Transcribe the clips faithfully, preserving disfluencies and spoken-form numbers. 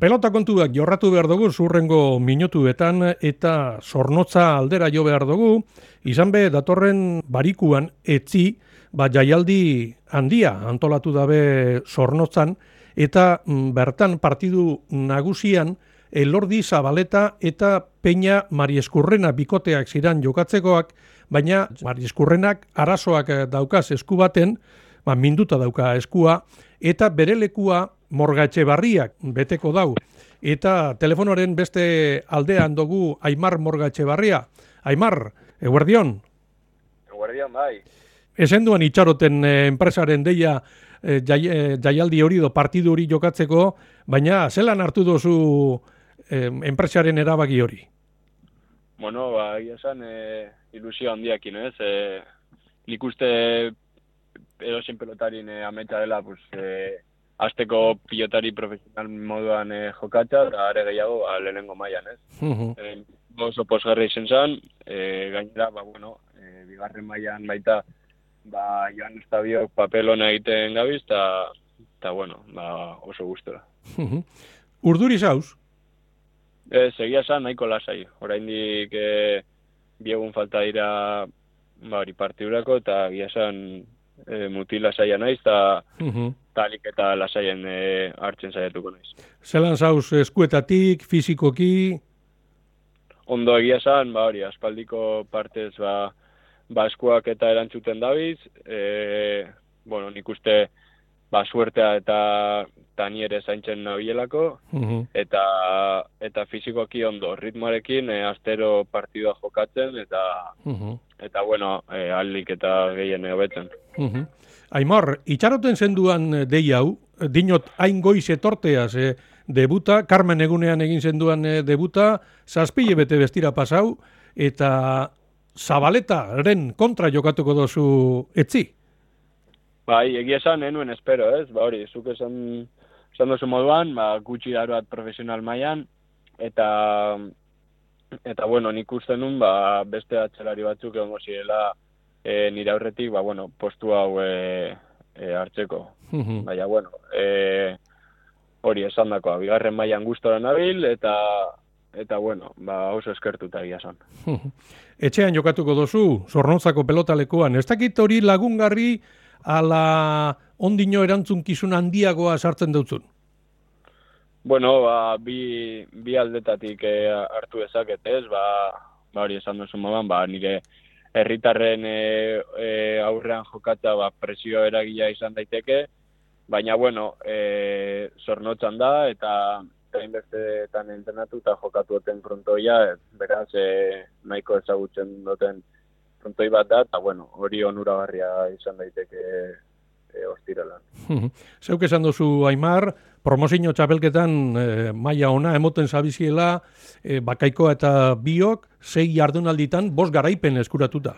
Pelota kontuak jorratu behar dugu zurrengo minutuetan eta Zornotza aldera jo behar dugu, izan be datorren barikuan etzi, ba jaialdi handia antolatu dabe Zornotzan, eta bertan partidu nagusian Elordi Zabaleta eta Peña Marieskurrena bikoteak ziran jokatzekoak, baina Marieskurrenak arazoak daukaz esku baten, ba, minduta dauka eskua, eta bere lekua Morga Etxebarriak beteko dau. Eta telefonoaren beste aldean dugu Aimar Morga Etxebarria. Aimar, eguerdion? Eguerdion, bai. Esenduan itxaroten eh, enpresaren deia eh, jai, eh, jaialdi hori do partidu hori jokatzeko, baina zelan hartu dozu eh, enpresaren erabaki hori? Bueno, ba, egia esan, eh, ilusio handiakin, ez? Eh, nik uste edozein pelotarin eh, ametsa dela, pues, eh, azteko pilotari profesional moduan eh, jokatza, eta are gehiago ba, lehenengo mailan, ez? Uh-huh. eh, oso posgarri izen zen, eh, gainera, ba, bueno, eh, bigarren mailan baita, ba, Joan Estabiok papel hona egiten gabiz, eta, eta bueno, ba, oso gustora. Uh-huh. Urduri zauz? Ez, egia esan nahiko lasai. Oraindik eh, bi egun falta dira ba, hori partidurako, eta egia esan eh, mutil lasaia naiz, eta uh-huh. talik eta lasaien eh, hartzen saiatuko naiz. Zelan zauz eskuetatik, fizikoki? Ondo egia esan, ba hori, aspaldiko partez ba, ba eskuak eta erantzuten dabiz, e, bueno, nik uste ba suertea eta tani ere zaintzen nabilelako, uh-huh. eta eta fizikoki ondo, ritmoarekin e, astero partidua jokatzen, eta uh-huh. eta bueno, e, aldik eta gehien hobetzen. Uh-huh. Aimar, itxaroten zenduan dei hau, dinot hain goiz etorteaz, eh, debuta, Carmen egunean egin zenduan eh, debuta, zazpile bete bestira pasau, eta Zabaletaren kontra jokatuko dozu etzi? Bai, egia esan, enuen espero, ez? Ba hori, zuk esan, esan dozu moduan, ba, gutxi daruat profesional mailan, eta, eta bueno, nik uste nun, ba, beste atzelari batzuk egongo zirela, E, nire aurretik, ba, bueno, postu hau e, e, hartzeko. Uh-huh. Baina, bueno, e, hori esan dakoa, bigarren mailan gustora nabil, eta, eta bueno, ba, oso eskertuta egia esan. Uh-huh. Etxean jokatuko dozu, Zornotzako pelotalekuan. Ez dakit hori lagungarri ala ondino erantzunkizun handiagoa sartzen dutzun? Bueno, ba, bi, bi aldetatik e, hartu dezaket, ez? Ba, ba hori esan duzu modan, ba, nire herritarren e, e, aurrean jokatza ba, presio eragila izan daiteke, baina, bueno, e, Zornotzan da, eta hainbestetan entrenatu eta jokatu duten frontoia, beraz, e, nahiko ezagutzen duten frontoi bat da, eta, bueno, hori onuragarria izan daiteke e, ostiralan. Zeuk esan duzu, Aimar, promozio txapelketan e, maila ona emoten zabiziela, e, Bakaikoa eta biok, sei jardunalditan, bost garaipen eskuratuta.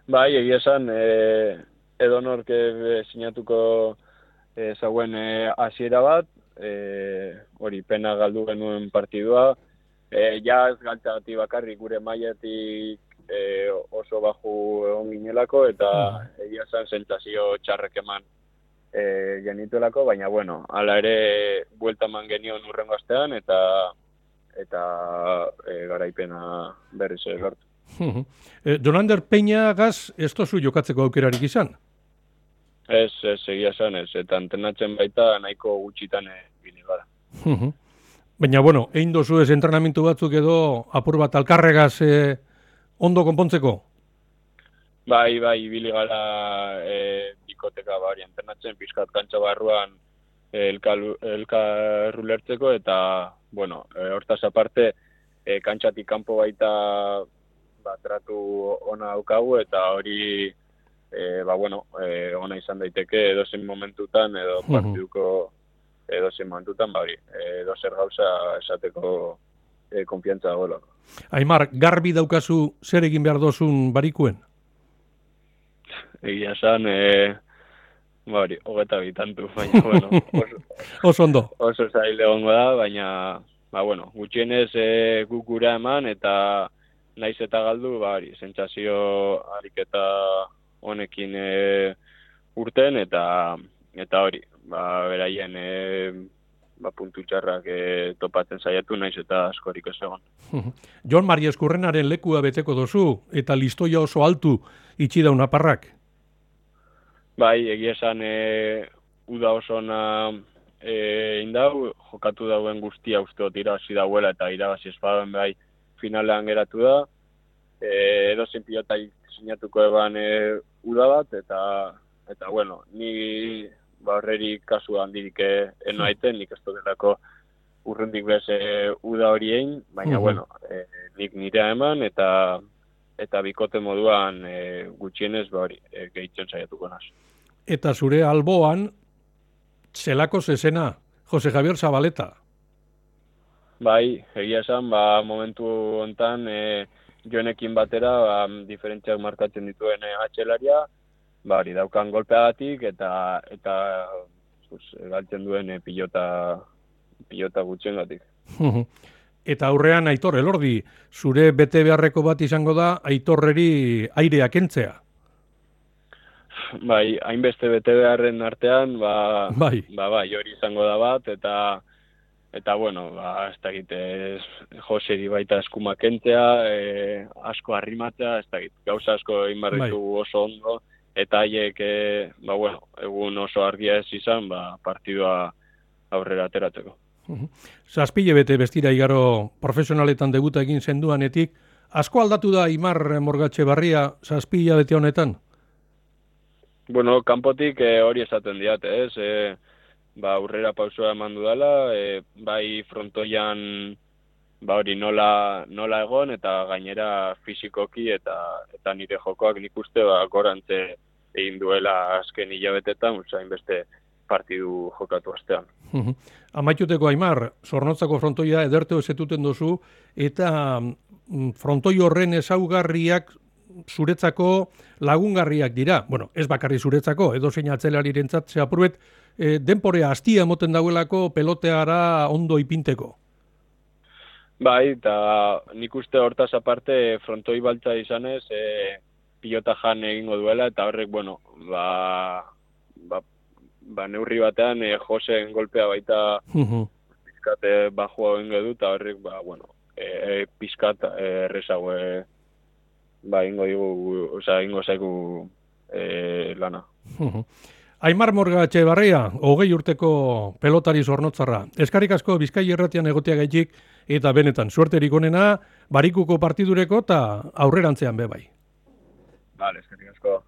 Bai, egia esan, e, edonork e, sinatuko e, zauen hasiera e, bat, e, hori pena galdu genuen partidua, e, ja ez galtzagatik bakarrik gure mailatik e, oso baju egon ginelako, eta uh-huh. egia esan sentsazio txarrek eman e, genituelako, baina bueno, hala ere buelta eman genion urrengo astean, eta eta e, garaipena berriz lortu. Uh-huh. e, Jonander Peñagaz ez tozu jokatzeko aukerarik izan? Ez, ez, egia esan ez, eta entrenatzen baita nahiko gutxitan egin gara. Uh-huh. Baina, bueno, egin dozu ez entrenamentu batzuk edo apur bat alkarregaz eh, ondo konpontzeko? Bai, bai, ibili gara e, bikoteka bari entrenatzen, pizkat kantxa barruan elkarrulertzeko, eta, bueno, e, hortaz aparte, e, kantxatik kanpo baita ba, tratu ona daukagu, eta hori, e, ba, bueno, e, ona izan daiteke edozein momentutan, edo partiduko edozein momentutan, ba, hori, edozer gauza esateko e, konfiantza dagoela. Aimar, garbi daukazu zer egin behar dozun barikuen? Egia esan, e, Bari, hogeta bitantu, baina, bueno, oso, oso ondo. Oso zail egongo da, baina, ba, bueno, gutxienez e, gukura eman, eta naiz eta galdu, bari, sentsazio ariketa honekin e, urten, eta eta hori, ba, beraien e, ba, puntu txarrak e, topatzen saiatu naiz eta askorik ez egon. Jon Mari Eskurrenaren lekua beteko dozu eta listoia oso altu itxi daun aparrak? Bai, egia esan e, uda oso ona e, indau, jokatu dauen guztia usteot irabazi dauela eta irabazi espadoen bai finalean geratu da. E, edozein pilota sinatuko eban e, uda bat, eta, eta bueno, ni ba, horreri kasu handirik eno aiten, nik ez delako urrundik bez e, uda hori egin, baina uh-huh. bueno, e, nik nirea eman, eta eta bikote moduan e, gutxienez ba hori, e, gehitzen saiatuko naz. Eta zure alboan, zelako zezena, Jose Javier Zabaleta? Bai, egia esan, ba, momentu hontan e, jonekin batera, ba, diferentziak markatzen dituen e, atxelaria, ba, hori daukan golpeagatik, eta eta pues, galtzen duen e, pilota, pilota gutxiengatik. Eta aurrean Aitor Elordi, zure bete beharreko bat izango da Aitorreri airea kentzea? Bai, hainbeste bete beharren artean, ba, bai. ba, bai, hori izango da bat, eta eta bueno, ba, ez da egite, Joseri baita eskuma kentzea, e, asko arrimatzea, ez da egite, gauza asko egin barritugu bai. Oso ondo, eta haiek, e, ba, bueno, egun oso argia ez izan, ba, partidua aurrera ateratzeko. Zazpile bete bestira igaro profesionaletan debuta egin zenduanetik, asko aldatu da Aimar Morgatxebarria zazpila bete honetan? Bueno, kanpotik e, hori esaten diate, ez? E, ba, aurrera pausua eman dudala, e, bai frontoian ba, hori nola, nola egon, eta gainera fisikoki eta eta nire jokoak nik uste ba, gorantze egin duela azken hilabetetan, usain beste partidu jokatu astean. Amaituteko Aimar, Zornotzako frontoia ederteo ezetuten dozu, eta frontoi horren ezaugarriak zuretzako lagungarriak dira. Bueno, ez bakarri zuretzako, edo zein atzelarirentzat, ze apurbet, e, denporea hastia moten dauelako peloteara ondo ipinteko. Bai, eta nik uste hortaz aparte frontoi baltza izanez, e, pilota jan egingo duela, eta horrek, bueno, ba, ba, ba neurri batean e, Joseen golpea baita uh-huh. pizkate bajua egingo du, eta horrek, ba, bueno, e, pizkat errezago e, ba, ingo digu, oza, ingo zaigu e, lana. Uh-huh. Aimar Morgatxebarria, hogei urteko pelotari Zornotzarra. Eskarrik asko Bizkai Irratian egotea gaitik, eta benetan, suerterik onena, barikuko partidureko eta aurrerantzean be bai. Vale, eskerrik asko.